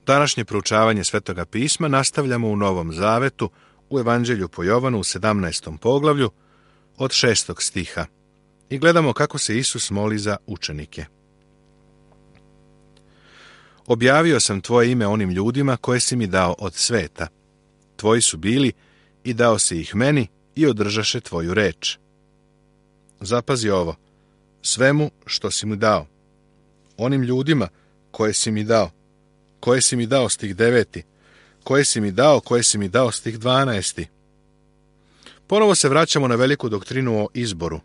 Današnje proučavanje Svetoga pisma nastavljamo u Novom Zavetu, u Evanđelju po Jovanu u 17. poglavlju, od 6. stiha. I gledamo kako se Isus moli za učenike. Objavio sam tvoje ime onim ljudima koje si mi dao od sveta. Tvoji su bili i dao si ih meni i održaše tvoju reč. Zapazi ovo, svemu što si mi dao. Onim ljudima koje si mi dao stih 9. Koje si mi dao stih 12. Ponovo se vraćamo na veliku doktrinu o izboru.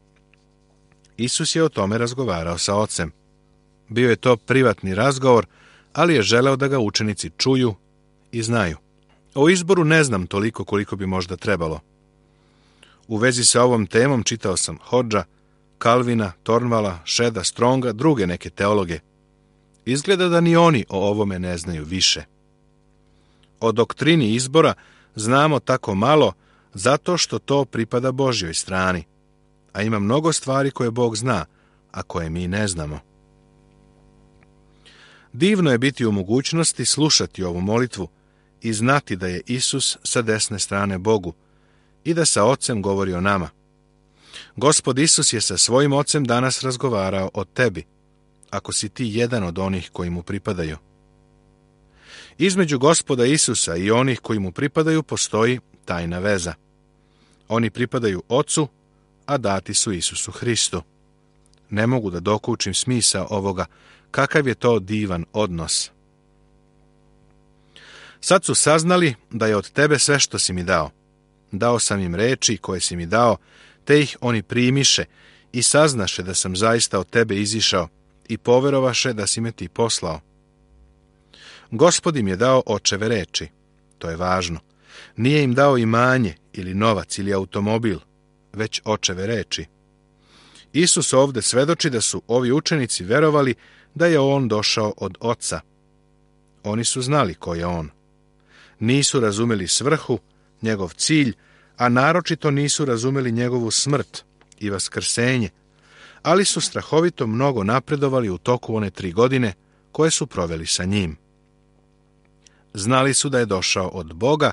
Isus je o tome razgovarao sa Ocem. Bio je to privatni razgovor, ali je želeo da ga učenici čuju i znaju. O izboru ne znam toliko koliko bi možda trebalo. U vezi sa ovom temom čitao sam Hodža, Kalvina, Tornvala, Šeda, Stronga, druge neke teologe. Izgleda da ni oni o ovome ne znaju više. O doktrini izbora znamo tako malo zato što to pripada Božjoj strani, a ima mnogo stvari koje Bog zna, a koje mi ne znamo. Divno je biti u mogućnosti slušati ovu molitvu i znati da je Isus sa desne strane Bogu i da sa Ocem govori o nama. Gospod Isus je sa svojim Ocem danas razgovarao o tebi, ako si ti jedan od onih koji mu pripadaju. Između Gospoda Isusa i onih koji mu pripadaju postoji tajna veza. Oni pripadaju Ocu, a dati su Isusu Hristu. Ne mogu da dokučim smisao ovoga, kakav je to divan odnos. Sad su saznali da je od tebe sve što si mi dao. Dao sam im reči koje si mi dao, te ih oni primiše i saznaše da sam zaista od tebe izišao i poverovaše da si me ti poslao. Gospod im je dao očeve reči. To je važno. Nije im dao imanje ili novac ili automobil, već očeve reči. Isus ovde svedoči da su ovi učenici verovali da je on došao od Oca. Oni su znali ko je on. Nisu razumeli svrhu, njegov cilj, a naročito nisu razumeli njegovu smrt i vaskrsenje, ali su strahovito mnogo napredovali u toku one 3 godine koje su proveli sa njim. Znali su da je došao od Boga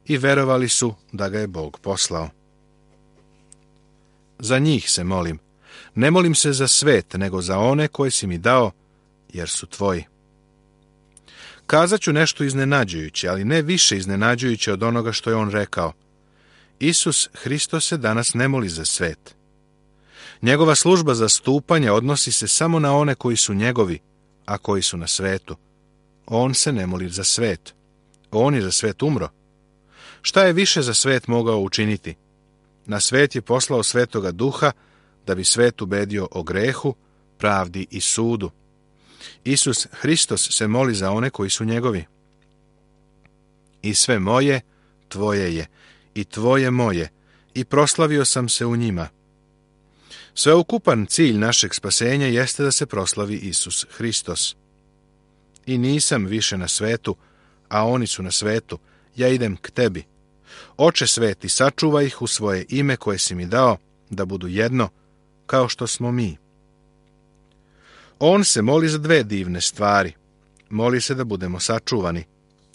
i verovali su da ga je Bog poslao. Za njih se molim. Ne molim se za svet, nego za one koje si mi dao, jer su tvoji. Kazat ću nešto iznenađujuće, ali ne više iznenađujuće od onoga što je on rekao. Isus Hristos se danas ne moli za svet. Njegova služba zastupanja odnosi se samo na one koji su njegovi, a koji su na svetu. On se ne moli za svet. On je za svet umro. Šta je više za svet mogao učiniti? Na svet je poslao Svetoga Duha da bi svet ubedio o grehu, pravdi i sudu. Isus Hristos se moli za one koji su njegovi. I sve moje, tvoje je, i tvoje moje, i proslavio sam se u njima. Sveukupan cilj našeg spasenja jeste da se proslavi Isus Hristos. I nisam više na svetu, a oni su na svetu, ja idem k tebi. Oče sveti, sačuvaj ih u svoje ime koje si mi dao, da budu jedno, kao što smo mi. On se moli za 2 divne stvari. Moli se da budemo sačuvani.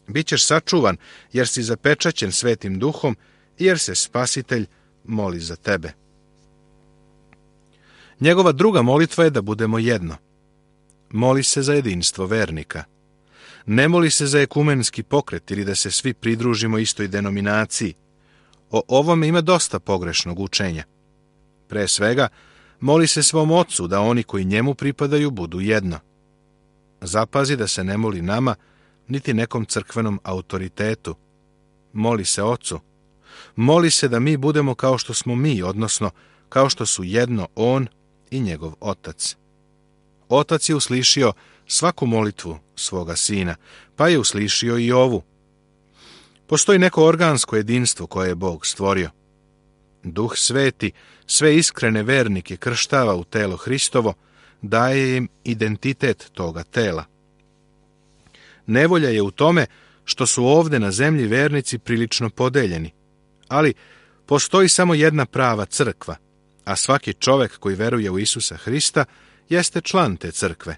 Bićeš sačuvan, jer si zapečaćen Svetim Duhom i jer se Spasitelj moli za tebe. Njegova druga molitva je da budemo jedno. Moli se za jedinstvo vernika. Ne moli se za ekumenski pokret ili da se svi pridružimo istoj denominaciji. O ovome ima dosta pogrešnog učenja. Pre svega, moli se svom Ocu da oni koji njemu pripadaju budu jedno. Zapazi da se ne moli nama, niti nekom crkvenom autoritetu. Moli se Ocu. Moli se da mi budemo kao što smo mi, odnosno kao što su jedno on i njegov Otac. Otac je uslišio svaku molitvu svoga sina, pa je uslišio i ovu. Postoji neko organsko jedinstvo koje je Bog stvorio. Duh Sveti sve iskrene vernike krštava u telo Hristovo, daje im identitet toga tela. Nevolja je u tome što su ovde na zemlji vernici prilično podeljeni, ali postoji samo jedna prava crkva, a svaki čovek koji veruje u Isusa Hrista jeste član te crkve.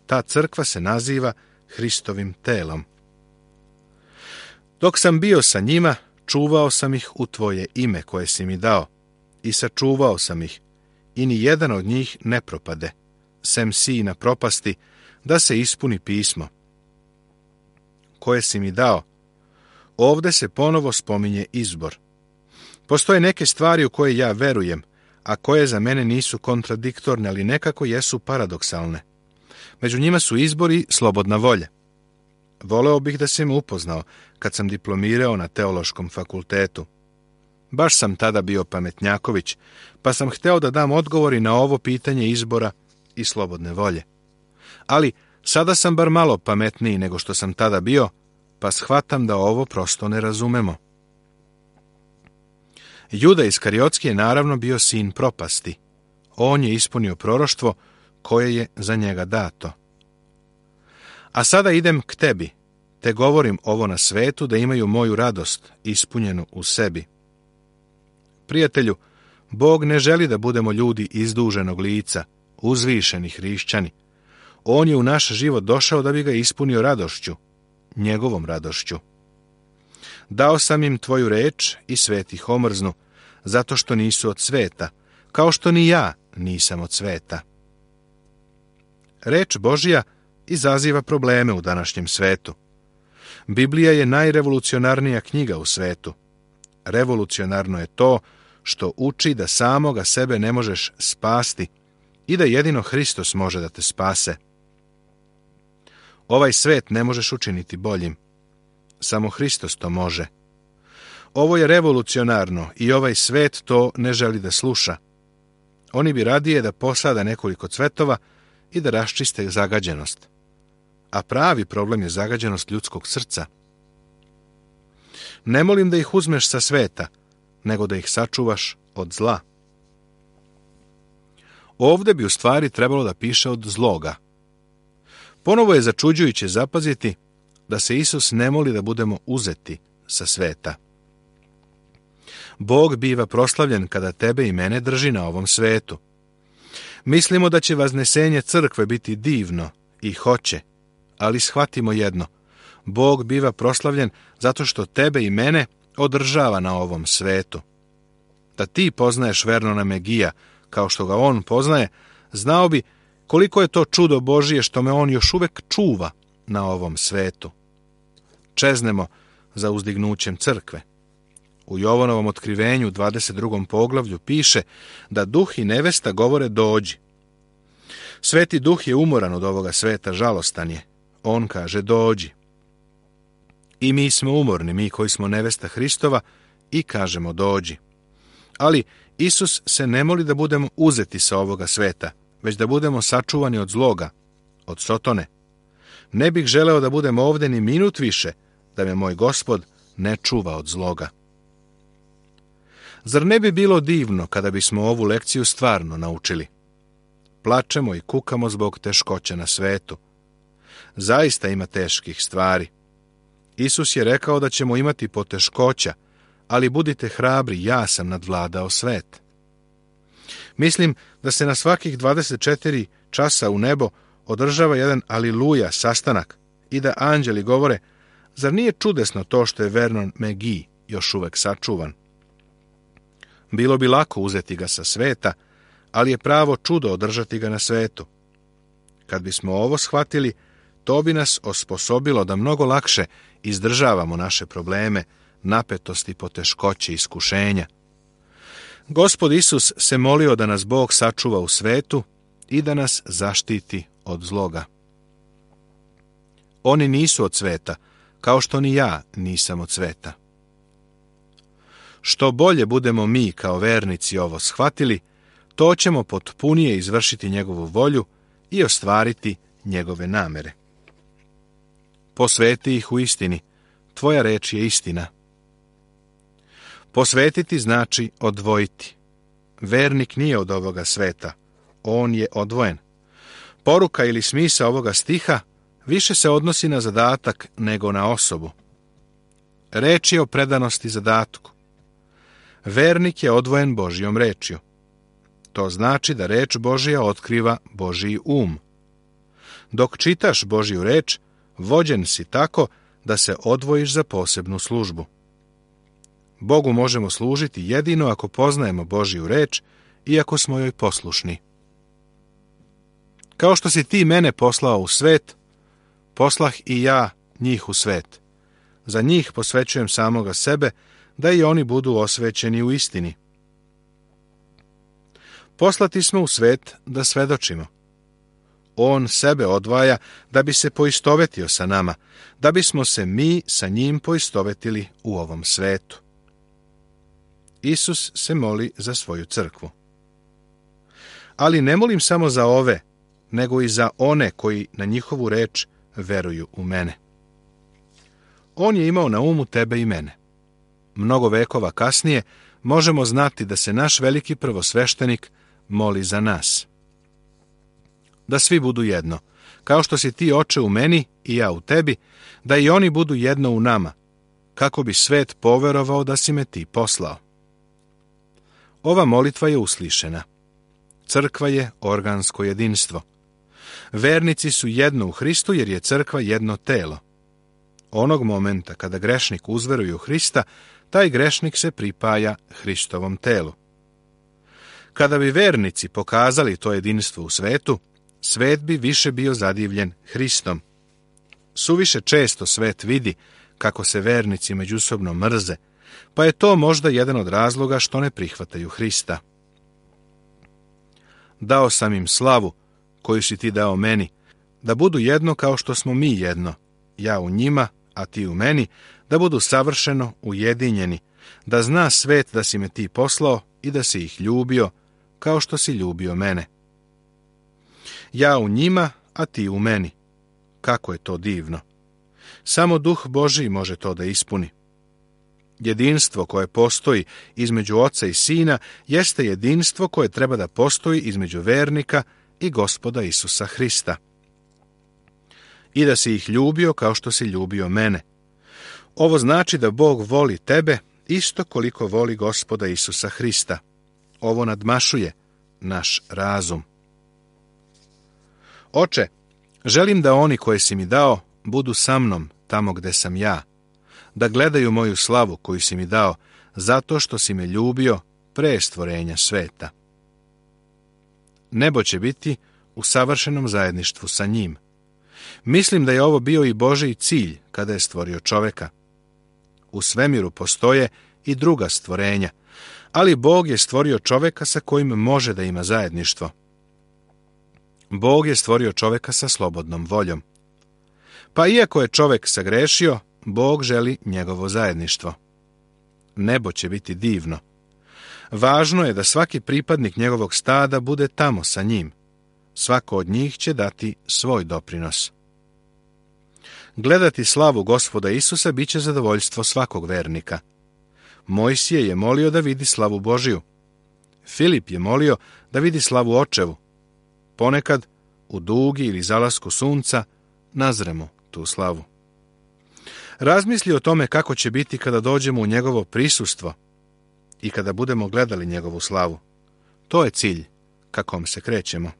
Ta crkva se naziva Hristovim telom. Dok sam bio sa njima, čuvao sam ih u tvoje ime koje si mi dao, i sačuvao sam ih, i ni jedan od njih ne propade, sem sina propasti, da se ispuni pismo koje si mi dao. Ovde se ponovo spominje izbor. Postoje neke stvari u koje ja verujem, a koje za mene nisu kontradiktorne, ali nekako jesu paradoksalne. Među njima su izbor i slobodna volja. Voleo bih da si me upoznao kad sam diplomirao na teološkom fakultetu. Baš sam tada bio pametnjaković, pa sam hteo da dam odgovori na ovo pitanje izbora i slobodne volje. Ali sada sam bar malo pametniji nego što sam tada bio, pa shvatam da ovo prosto ne razumemo. Juda Iskariotski je naravno bio sin propasti. On je ispunio proroštvo koje je za njega dato. A sada idem k tebi, te govorim ovo na svetu da imaju moju radost ispunjenu u sebi. Prijatelju, Bog ne želi da budemo ljudi izduženog lica, uzvišeni hrišćani. On je u naš život došao da bi ga ispunio radošću, njegovom radošću. Dao sam im tvoju reč i svet ih omrznu, zato što nisu od sveta, kao što ni ja nisam od sveta. Reč Božja izaziva probleme u današnjem svetu. Biblija je najrevolucionarnija knjiga u svetu. Revolucionarno je to što uči da samoga sebe ne možeš spasti i da jedino Hristos može da te spase. Ovaj svet ne možeš učiniti boljim. Samo Hristos to može. Ovo je revolucionarno i ovaj svet to ne želi da sluša. Oni bi radije da posada nekoliko cvetova i da raščiste zagađenost. A pravi problem je zagađenost ljudskog srca. Ne molim da ih uzmeš sa sveta, nego da ih sačuvaš od zla. Ovde bi u stvari trebalo da piše od zloga. Ponovo je začuđujuće zapaziti da se Isus ne moli da budemo uzeti sa sveta. Bog biva proslavljen kada tebe i mene drži na ovom svetu. Mislimo da će vaznesenje crkve biti divno i hoće, ali shvatimo jedno. Bog biva proslavljen zato što tebe i mene održava na ovom svetu. Da ti poznaješ Vernona Megija kao što ga on poznaje, znao bi koliko je to čudo Božije što me on još uvek čuva na ovom svetu. Čeznemo za uzdignućem crkve. U Jovanovom otkrivenju 22. poglavlju piše da duh i nevesta govore dođi. Sveti duh je umoran od ovoga sveta, žalostan je. On kaže dođi. I mi smo umorni, mi koji smo nevesta Hristova, i kažemo dođi. Ali Isus se ne moli da budemo uzeti sa ovoga sveta, već da budemo sačuvani od zloga, od sotone. Ne bih želeo da budem ovde ni minut više, da me moj Gospod ne čuva od zloga. Zar ne bi bilo divno kada bismo ovu lekciju stvarno naučili? Plačemo i kukamo zbog teškoća na svetu. Zaista ima teških stvari. Isus je rekao da ćemo imati poteškoća, ali budite hrabri, ja sam nadvladao svet. Mislim da se na svakih 24 časa u nebo održava jedan aliluja sastanak i da anđeli govore, zar nije čudesno to što je Vernon Megi još uvek sačuvan? Bilo bi lako uzeti ga sa sveta, ali je pravo čudo održati ga na svetu. Kad bismo ovo shvatili, to bi nas osposobilo da mnogo lakše izdržavamo naše probleme, napetosti, poteškoće, iskušenja. Gospod Isus se molio da nas Bog sačuva u svetu i da nas zaštiti od zloga. Oni nisu od sveta, kao što ni ja nisam od sveta. Što bolje budemo mi kao vernici ovo shvatili, to ćemo potpunije izvršiti njegovu volju i ostvariti njegove namere. Posveti ih u istini, tvoja reč je istina. Posvetiti znači odvojiti. Vernik nije od ovoga sveta, on je odvojen. Poruka ili smisao ovoga stiha više se odnosi na zadatak nego na osobu. Reč je o predanosti zadatku. Vernik je odvojen Božjom rečju. To znači da reč Božja otkriva Božji um. Dok čitaš Božju reč, vođen si tako da se odvojiš za posebnu službu. Bogu možemo služiti jedino ako poznajemo Božju reč i ako smo joj poslušni. Kao što si ti mene poslao u svet, poslah i ja njih u svet. Za njih posvećujem samoga sebe, da i oni budu osvećeni u istini. Poslati smo u svet da svedočimo. On sebe odvaja da bi se poistovetio sa nama, da bismo se mi sa njim poistovetili u ovom svetu. Isus se moli za svoju crkvu. Ali ne molim samo za ove, nego i za one koji na njihovu reč veruju u mene. On je imao na umu tebe i mene. Mnogo vekova kasnije možemo znati da se naš veliki prvosveštenik moli za nas. Da svi budu jedno, kao što si ti, Oče, u meni i ja u tebi, da i oni budu jedno u nama, kako bi svet poverovao da si me ti poslao. Ova molitva je uslišena. Crkva je organsko jedinstvo. Vernici su jedno u Hristu jer je crkva jedno telo. Onog momenta kada grešnik uzveruje u Hrista, taj grešnik se pripaja Hristovom telu. Kada bi vernici pokazali to jedinstvo u svetu, svet bi više bio zadivljen Hristom. Suviše često svet vidi kako se vernici međusobno mrze, pa je to možda jedan od razloga što ne prihvataju Hrista. Dao sam im slavu koju si ti dao meni, da budu jedno kao što smo mi jedno, ja u njima, a ti u meni, da budu savršeno ujedinjeni, da zna svet da si me ti poslao i da si ih ljubio kao što si ljubio mene. Ja u njima, a ti u meni. Kako je to divno! Samo Duh Božji može to da ispuni. Jedinstvo koje postoji između Oca i Sina jeste jedinstvo koje treba da postoji između vernika i Gospoda Isusa Hrista. I da si ih ljubio kao što si ljubio mene. Ovo znači da Bog voli tebe isto koliko voli Gospoda Isusa Hrista. Ovo nadmašuje naš razum. Oče, želim da oni koje si mi dao budu sa mnom tamo gde sam ja, da gledaju moju slavu koju si mi dao, zato što si me ljubio pre stvorenja sveta. Nebo će biti u savršenom zajedništvu sa njim. Mislim da je ovo bio i Božji cilj kada je stvorio čoveka. U svemiru postoje i druga stvorenja, ali Bog je stvorio čoveka sa kojim može da ima zajedništvo. Bog je stvorio čoveka sa slobodnom voljom. Pa iako je čovek sagrešio, Bog želi njegovo zajedništvo. Nebo će biti divno. Važno je da svaki pripadnik njegovog stada bude tamo sa njim. Svako od njih će dati svoj doprinos. Gledati slavu Gospoda Isusa bit će zadovoljstvo svakog vernika. Mojsije je molio da vidi slavu Božiju. Filip je molio da vidi slavu Očevu. Ponekad, u dugi ili zalasku sunca, nazremo tu slavu. Razmisli o tome kako će biti kada dođemo u njegovo prisustvo i kada budemo gledali njegovu slavu. To je cilj ka kom se krećemo.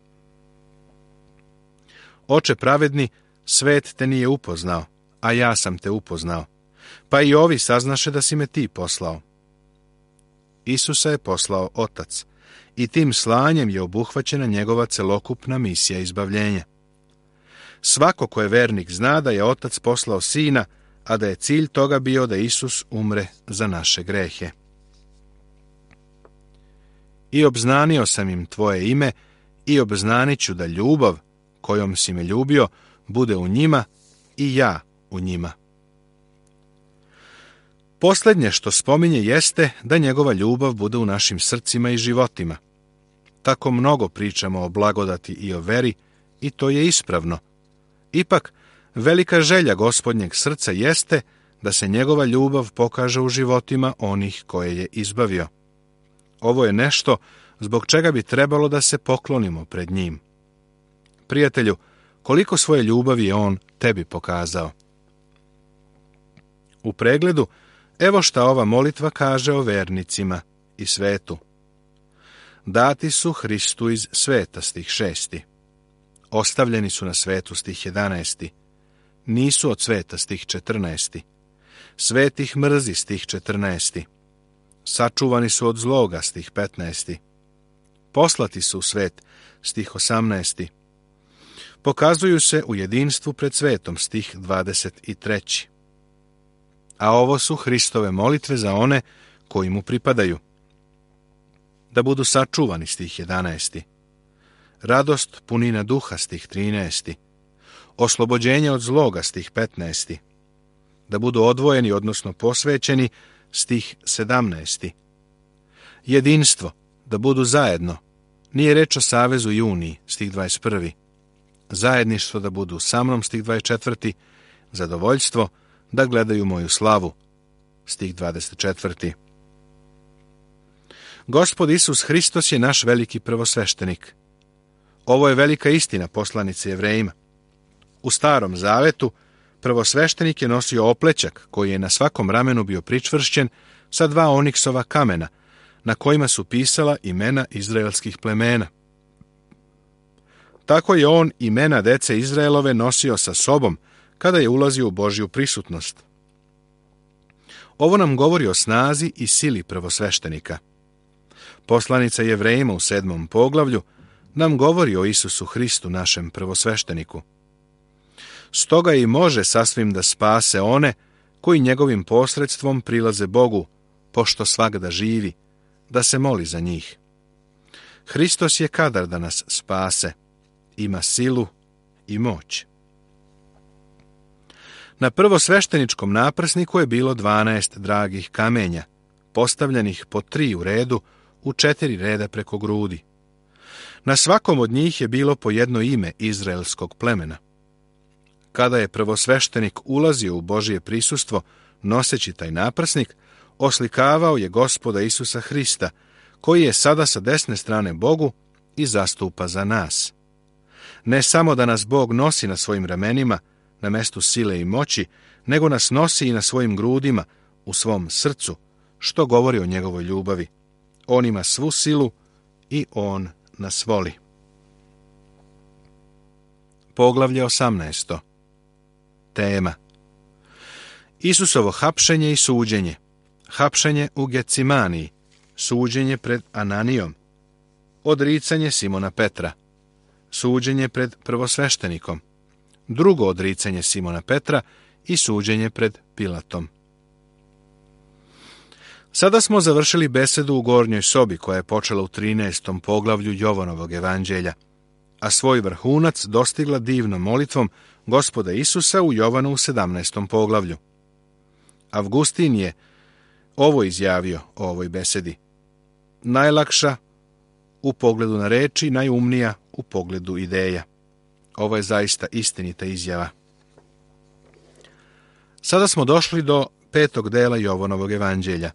Oče pravedni, svet te nije upoznao, a ja sam te upoznao, pa i ovi saznaše da si me ti poslao. Isusa je poslao Otac i tim slanjem je obuhvaćena njegova celokupna misija izbavljenja. Svako ko je vernik zna da je Otac poslao Sina, a da je cilj toga bio da Isus umre za naše grehe. I obznanio sam im tvoje ime i obznanit ću da ljubav kojom si me ljubio bude u njima i ja u njima. Posljednje što spominje jeste da njegova ljubav bude u našim srcima i životima. Tako mnogo pričamo o blagodati i o veri i to je ispravno. Ipak, velika želja Gospodnjeg srca jeste da se njegova ljubav pokaže u životima onih koje je izbavio. Ovo je nešto zbog čega bi trebalo da se poklonimo pred njim. Prijatelju, koliko svoje ljubavi je on tebi pokazao? U pregledu, evo šta ova molitva kaže o vernicima i svetu. Dati su Hristu iz sveta, stih 6. Ostavljeni su na svetu, stih 11. nisu od sveta, stih 14. Svet ih mrzi, stih 14. Sačuvani su od zloga, stih 15. Poslati su u svet, stih 18. Pokazuju se u jedinstvu pred svetom, stih 23. A ovo su Hristove molitve za one koji mu pripadaju. Da budu sačuvani, stih 11. Radost punina duha, stih 13. Oslobođenje od zloga, stih 15. Da budu odvojeni, odnosno posvećeni, stih 17. Jedinstvo, da budu zajedno. Nije reč o savezu i uniji, stih 21. Zajedništvo, da budu sa mnom, stih 24. Zadovoljstvo, da gledaju moju slavu, stih 24. Gospod Isus Hristos je naš veliki prvosveštenik. Ovo je velika istina poslanice Jevrejima. U Starom Zavetu prvosveštenik je nosio oplećak koji je na svakom ramenu bio pričvršćen sa 2 oniksova kamena, na kojima su pisala imena izraelskih plemena. Tako je on imena dece Izraelove nosio sa sobom kada je ulazio u Božju prisutnost. Ovo nam govori o snazi i sili prvosveštenika. Poslanica Jevrejima u 7. poglavlju nam govori o Isusu Hristu, našem prvosvešteniku. Stoga i može sasvim da spase one koji njegovim posredstvom prilaze Bogu, pošto svagda živi, da se moli za njih. Hristos je kadar da nas spase, ima silu i moć. Na prvosvešteničkom naprsniku je bilo 12 dragih kamenja, postavljenih po 3 u redu, u 4 reda preko grudi. Na svakom od njih je bilo po jedno ime izraelskog plemena. Kada je prvosveštenik ulazio u Božje prisustvo, noseći taj naprsnik, oslikavao je Gospoda Isusa Hrista, koji je sada sa desne strane Bogu i zastupa za nas. Ne samo da nas Bog nosi na svojim ramenima, na mestu sile i moći, nego nas nosi i na svojim grudima, u svom srcu, što govori o njegovoj ljubavi. On ima svu silu i on nas voli. Poglavlje 18. Tema: Isusovo hapšenje i suđenje. Hapšenje u Gecimaniji, suđenje pred Ananijom, odricanje Simona Petra, suđenje pred prvosveštenikom, drugo odricanje Simona Petra i suđenje pred Pilatom. Sada smo završili besedu u gornjoj sobi koja je počela u 13. poglavlju Jovanovog evanđelja, a svoj vrhunac dostigla divnom molitvom Gospoda Isusa u Jovanu u 17. poglavlju. Avgustin je ovo izjavio o ovoj besedi: najlakša u pogledu na reči, najumnija u pogledu ideja. Ovo je zaista istinita izjava. Sada smo došli do 5. dela Jovanovog evanđelja,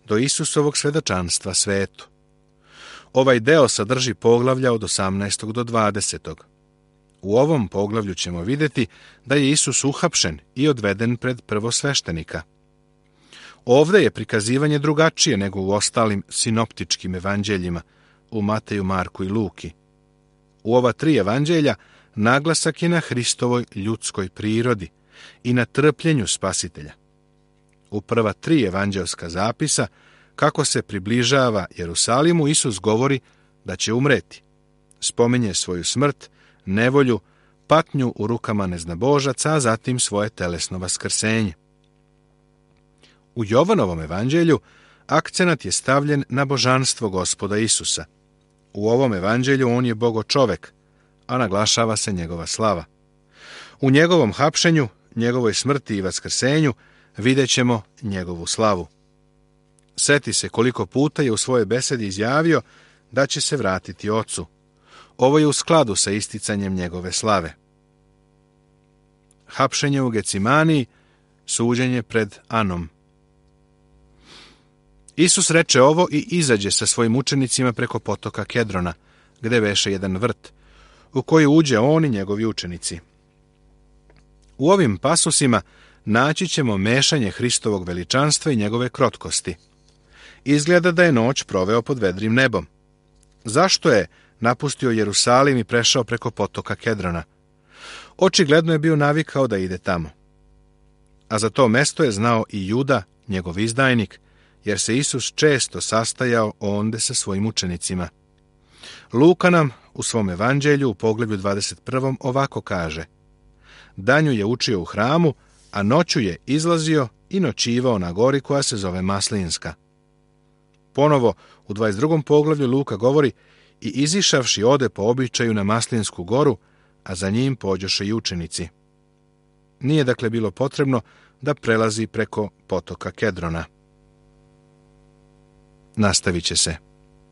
do Isusovog svedočanstva svetu. Ovaj deo sadrži poglavlja od 18. do 20. U ovom poglavlju ćemo vidjeti da je Isus uhapšen i odveden pred prvosveštenika. Ovdje je prikazivanje drugačije nego u ostalim sinoptičkim evanđeljima, u Mateju, Marku i Luki. U ova 3 evanđelja naglasak je na Hristovoj ljudskoj prirodi i na trpljenju Spasitelja. U prva 3 evanđelska zapisa, kako se približava Jerusalimu, Isus govori da će umreti. Spominje svoju smrt, nevolju, patnju u rukama neznabožaca, a zatim svoje telesno vaskrsenje. U Jovanovom evanđelju akcenat je stavljen na božanstvo Gospoda Isusa. U ovom evanđelju on je bogočovek, a naglašava se njegova slava. U njegovom hapšenju, njegovoj smrti i vaskrsenju vidjet ćemo njegovu slavu. Seti se koliko puta je u svojoj besedi izjavio da će se vratiti Ocu. Ovo je u skladu sa isticanjem njegove slave. Hapšenje u Gecimaniji, suđenje pred Anom. Isus reče ovo i izađe sa svojim učenicima preko potoka Kedrona, gde veše jedan vrt, u koji uđe on i njegovi učenici. U ovim pasusima naći ćemo mešanje Hristovog veličanstva i njegove krotkosti. Izgleda da je noć proveo pod vedrim nebom. Zašto je napustio Jerusalim i prešao preko potoka Kedrona? Očigledno je bio navikao da ide tamo. A za to mesto je znao i Juda, njegov izdajnik, jer se Isus često sastajao onde sa svojim učenicima. Luka nam u svom evanđelju u poglavlju 21. ovako kaže: danju je učio u hramu, a noću je izlazio i noćivao na gori koja se zove Maslinska. Ponovo u 22. poglavlju Luka govori: i izišavši ode po običaju na Maslinsku goru, a za njim pođoše i učenici. Nije dakle bilo potrebno da prelazi preko potoka Kedrona. Nastavit će se.